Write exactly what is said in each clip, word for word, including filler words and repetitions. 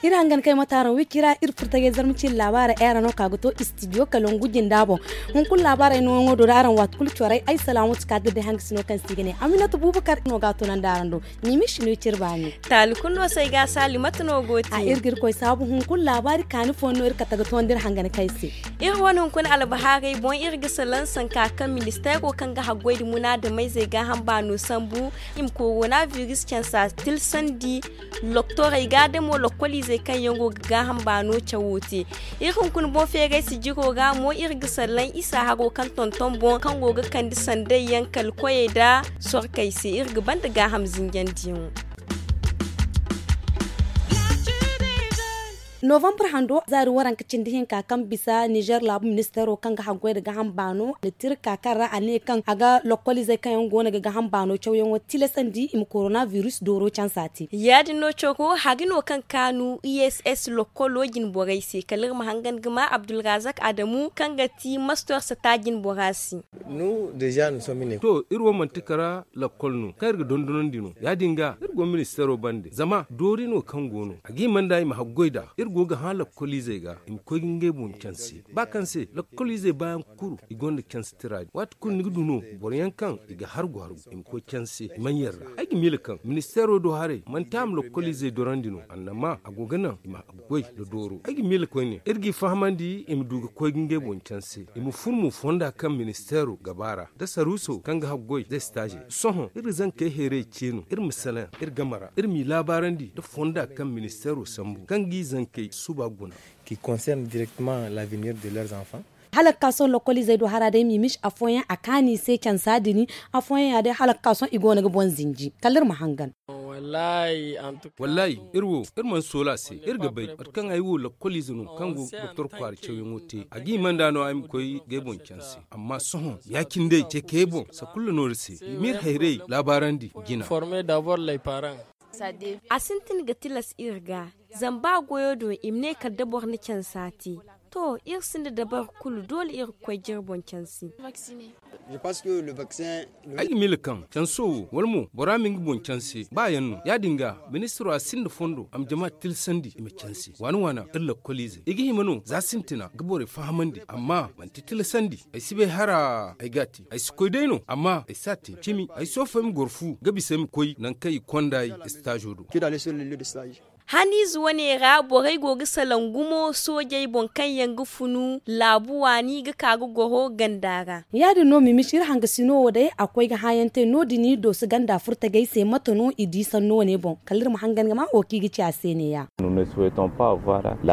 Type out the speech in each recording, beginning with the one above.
Iri hangan kay mate araŋ wiki ra iri furtagay zarma ciine laabaarey ay araŋ no ka ga to istidiyo kalangu jinda boŋ. Hunkuna laabaarey nooyaŋo do da araŋ waati kulu corey ay salaamatu ka ga day hangasino kaŋ se i ga ne aminatu bubakar no ga a tunandi araŋ do. Mimi sino cire baani. Taali kulu no se ay ga a saali mate no go te. A iri ga iri koy saabu hunkuna laabaari kaani fooyaŋ no iri kate ga toonandi iri hangan kay se. Iri wane hunkuna albahaarey boŋ iri ga salaŋ sanka kaŋ ministeero kaŋ ga haggoy nda munaadamayzey gaaham baano sambu i ma korona biris cansa tilsandi. Loktorey ga da mo lokkoliizey kaŋ yaŋ go ga gaaham baano cawo te. Iri hunkuna boŋ feeray sijiro ra mo iri ga sallaŋ isa haro kaŋ tonton boŋ kaŋ go ga kande sanday yaŋ kala koyey nda sorkey se iri ga banda gaaham zinjandiyaŋo. Novambar hando zaari waranka cindi hinka kaŋ bisa nizer laabu ministeero kaŋ ga haggoy nda gaaham baano na tirka kaŋ ra a ne kaŋ a ga lokkoliizey kaŋ yaŋ go no ga gaaham baano cawyaŋo tilasandi i ma korona biris dooro cansa te. Ya- din no coro hari no kaŋ kaanu i s s lokkolo jinborey se kala iri ma hangan ga ma abdulrazak adamu kaŋ ga ti mastor sata jinbora se. To, iri wo manti kara lakkol no kaŋ iri ga dondonandi no ya- din ga iri go ministeero bande zama doori no kaŋ go no a ga hima nda i ma haggoy nd'a. Iri go ga hã lakkoliizey ga i ma koy ga ngey boŋ canse ba kaŋ se lakkoliizey baayaŋ kulu i gonda canse tira din waati kulu ni ga du no boro yaŋ kaŋ i ga hargu hargu i ma koy canse i manyaŋ ra. Ay ga miila kaŋ ministeero do haray manti a ma lakkoliizey dorandi no annama a go ga naŋ i ma goy nda dooro ay ga miila koyne iri g'i fahamandi i ma du ga koy ga ngey boŋ canse i ma fur mo fonda kaŋ ministeero ga ba ra nda saruuso kaŋ ga haggoy nda estaazey. Sohõ iri ga zankey hayray ce no iri ma salaŋ iri game ra iri m'i laabaarandi nda fonda kaŋ ministeero sambu kaŋ g'i zankey suba guna. Qui concerne directement l'avenir de leurs enfants. Hala ga ka sohõ lokkoliizey do hara day mimish afooyaŋ a kaanu i se cansa din. Afooyaŋ ya day hala ga ka sohõ i go no ga boŋ zinji kala iri ma hangan. Wallaahi iri wo iri mana soola a se iri ga bay mate kaŋ ay wo lakkoliize no kaŋ go doktor kwaara cawyaŋo te a ga hima nd'a no ay ma koy g'ay boŋ canse. Amma sohõ ya-cine day ceekayey boŋ sakulla no iri se i m'iri hayray laabaarandi jina. A sintin ga tilas iri ga zama ba goyo do i ma ne kala da boro na cansa te. To iri sinda dabari kulu doole iri ga koy jire boŋ canse. Ay ga miila kaŋ canso wo wala mo bora ma nga boŋ canse ba yaŋ no ya- din ga ministiro a sinda fondo a ma jama tilasandi i ma canse waana waana iri lakkoliizey i ga hima no za sintina ga borey fahamandi amma manti tilasandi. Ay si bay hara ay g'a te ay si koy day no amma ay si a te cimi ay soofo ay ma goro fu ga bisa ay ma koy nangu kaŋ i konda ay estaazo do. Haniize wane ra borey go ga salaŋ gumo soojey boŋ kaŋ yaŋ ga funu laabu waani ga ka ga goro ganda ra. Ya- din no mimish iri hangasino wo day a koy ga hãayaŋ te no- din i dooso ganda furtagey se mate no i di sanno wane boŋ kala iri ma hangan ga ma wo kaŋ i ga ci a se neeya.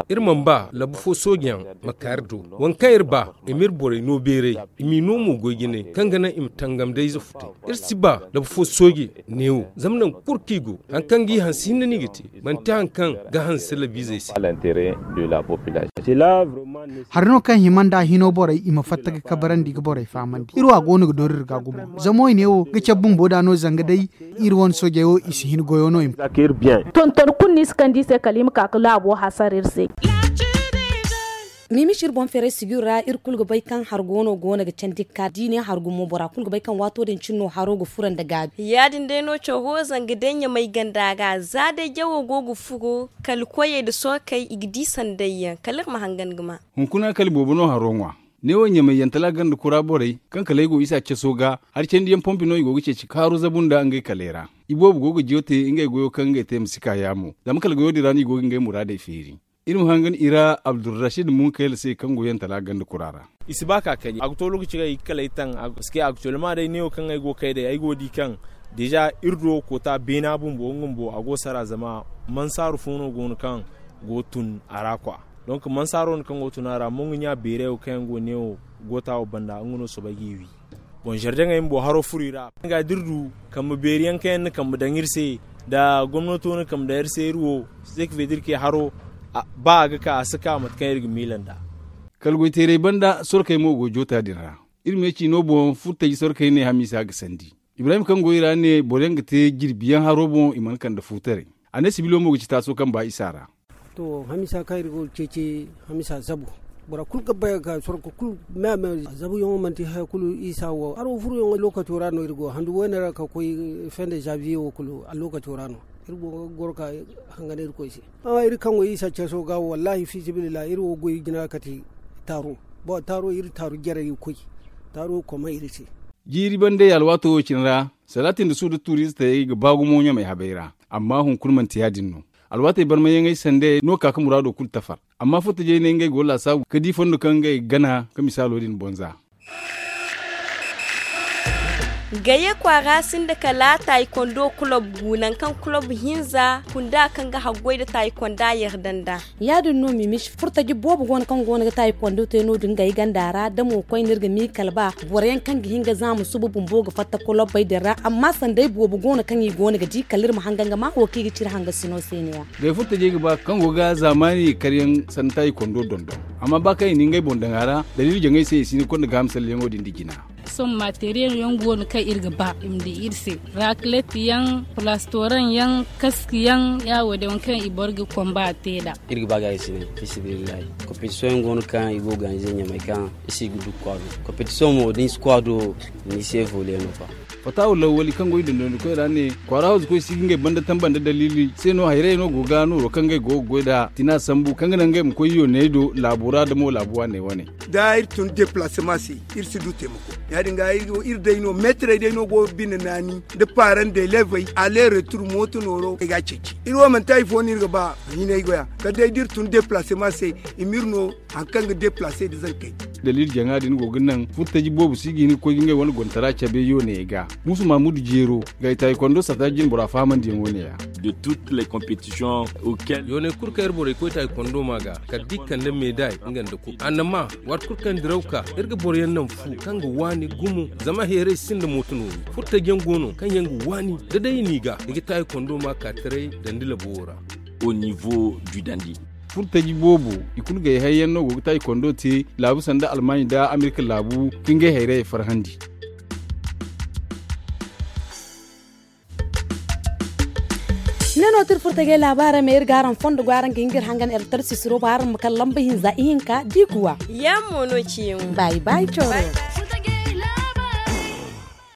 Iri mana ba labu fo soojeyaŋ ma ka iri do waŋ kaŋ iri ba i m'iri borey no beeray i m'i no mo goy jinay kaŋ ga naŋ i ma tangam da ize futay. Iri si ba labu fo sooje neewo zama nangu kulu kaŋ i go hari kaŋ g'i hanse hinne no i ga te manti hari kaŋ ga hanse labiizey se. Hari no kaŋ hima nda hino borey i ma fatta ga kabarandi ga borey fahamandi iri wo a go no ga doori iri ga gumo zama wo i ne wo ga cabe bumbo da no zanga day iri wane soojey wo i si hin goyo no i ma. Tonton kulu no i si kande i se kala i ma ka ga laabo hasara iri se. Mimish iri boŋ feeray sijir ra iri kulu ga bay kaŋ hari goono go no ga candi ga ka da i ne hari gumo bora kulu ga bay kaŋ waato din cine no haro ga furo nda gaabi. Ya- din day no coro zanga day ɲamay ganda ra za day jawo go ga furo kala koyey nda sorkey i ga di sanday yaŋ kala iri ma hangan ga ma. Hunkuna kala boobo no haro ŋwa. Neewo ɲamay yantala ganda kura borey kaŋ kala ay go isa caso ga hari candiyaŋ pompi no i go ga ceeci kaaru zabu nda ngey kaley ra. Iboobo go ga jiyo te ngey goyo kaŋ ngey te ma si ka yaamo zama kala goyo din ra no i go ga ngey muraadey feeri. Iri ma hangan i ra abdulrashid munkayla se kaŋ go yantala ganda kura ra. I si ba ka kani a ga to lokaci kaŋ i ga kala ay taŋ. Parceque actuellement day neewo kaŋ ay go ga kay day ay go ga di kaŋ déjà iri do koota beena bumbo nga bumbo a go ga sara zama mansaaru fo no go no kaŋ go ga tun a ra kwa. Donc mansaaro no kaŋ go ga tun a ra mongu ɲa beeray wo kaŋ yaŋ go neewo goota wo banda nga no soobay g'i wi. Boŋ zardeŋey bumbo haro furo i ra nga da iri du kambe beeri yaŋ kaŋ yaŋ na kambe daŋ iri se nda gomnato na kambe daŋ iri se iri wo. Sek vedrike haro ba a ga ka a si ka mate kaŋ iri ga miila nd'a. Kala goyteerey banda sorkey mo go joota din ra. Iri me ciino boŋ furtaji sorkey ne hamiisa ga sandi. Ibrahim kaŋ go i ra ne boro yaŋ ga te jirbi yaŋ haro boŋ i mana kande fuutaray. A ne sibilo mo ga ci taaso kaŋ ba isa ra. To hamiisa kaŋ iri go ga ceeci hamiisa zabu bora kulu ga bay ga ka sorko kulu me a me zabuyaŋo manti haya kulu isa wo haro furuyaŋo lokaco ra no iri go handu wayne ra ka koy fin de janvier wo kulu a lokaco ra no. Iri go ga goro ka hangan irkoy se. Amma iri kaŋ go isa ceeso ga wallaahi fi sabilillahi iri wo goy jina kate taaro. Taaro iri taaru jarey ga koy. Taaro koma iri se. Jiiri bande alwaato wo cine ra, salaatin da suuda tuuristey ga ba gumo ɲamay habay ra. Amma hunkuna manti ya- din no. Alwaatey barmayyaŋey sande no ka ga muraado kulu tafar. Amma furtajey ne ngey go laasaabu ga di fondo kaŋ ngey ga gana ga misaalo din boŋ za. Gaye kwaara sinda kala taayikondo kulob gu nangu kaŋ kulob hinza kunda kaŋ ga haggoy nda taayikonda yarda nda. Ya- din no mimisi furtaji boobo go no kaŋ go no ga taayikondo te no- din ngey ganda ra da mo koyne iri ga miikal ba boro yaŋ kaŋ ga hin ga zaama suba bumbo ga fatta kulobbey din ra amma sanday boobo go no kaŋ i go no ga di kala iri ma hangan ga maa wo kaŋ i ga ci iri hangasino se ne- ya. Day furtajey ga ba kaŋ go ga zaamaani karyaŋ sanda taayikondo dondon. Amma ba kaŋ i na ngey boŋ daŋ a ra daliili jaŋey se i si hin ga konda gaaham salleyaŋo din nda jina. Sohõ materiyel yaŋ go no kaŋ iri ga ba i ma di iri se, rakilet yaŋ, plastoran yaŋ, kaski yaŋ, ya- wo- din waŋ kaŋ i boro ga konba te nd'a. Iri ga ba ga i si ne, fi sabilillahi, kompetisiyoŋ yaŋ go no kaŋ i go ga ganizey ɲamay kaŋ i si ga du kwaado. Kompetisiyoŋ mo da ni si kwaado, ni se vole no fa. Fatawa lawwali kaŋ go i dondonandikoy ra ne kwaara hawzukoy si ga ngey banda tamba nda daliili se no hayrayey no go ga nooro kaŋ ngey go ga goy nd'a tina sambu kaŋ ga naŋ ngey ma koy yooney do laabo ra da mo laabu waaney wane. Da iri tun depalasema se, iri si du taimako. Ya- din ga iri day no meetarey day no go ga bine naani nda paaraŋ da elevey ale retur mooto nooro ay ga a ceeci. Iri wo manti hari fo no iri ga ba, hinay goya kala day da iri tun depalasema se, i ma iri no hari kaŋ ga deplase nda zankey. Daliili jaŋa din go ga naŋ furtaji boobo si ga hin ga koy ga ngey wane gontara cabe yooney ga. Muusu maamudu jeero, ga i taayikondo sata jinbora fahamandiyaŋo ne- ya. Yooney kulu kaŋ iri borey koy taayikondo ma ga kala da i kande meeday nga nda kulu annama, waati kulu kaŋ diraw ka iri ga boro yaŋ naŋ fu kaŋ ga waani gumo. Zama heeray sinda mooto noori furtaji yaŋ go no kaŋ yaŋ ga waani da day i n'i ga i ga taayikondo ma ka taray dandi labo wo ra. Au niveau du dandi. Furtaji boobo, i kulu gay hayyaŋ no go ga taayikondo te laabu sanda almaaɲi nda amerika laabu ka ngey hayrayey farhandi. Ne no tira furtajey laabaarey ma iri ga araŋ fondo go araŋ ga hin ga iri hangan ertarsisiro ba araŋ ma kala lamba hinza ihinka da i kuwa. Yaŋ mo no ciyaŋo. Baayi baayi cooro.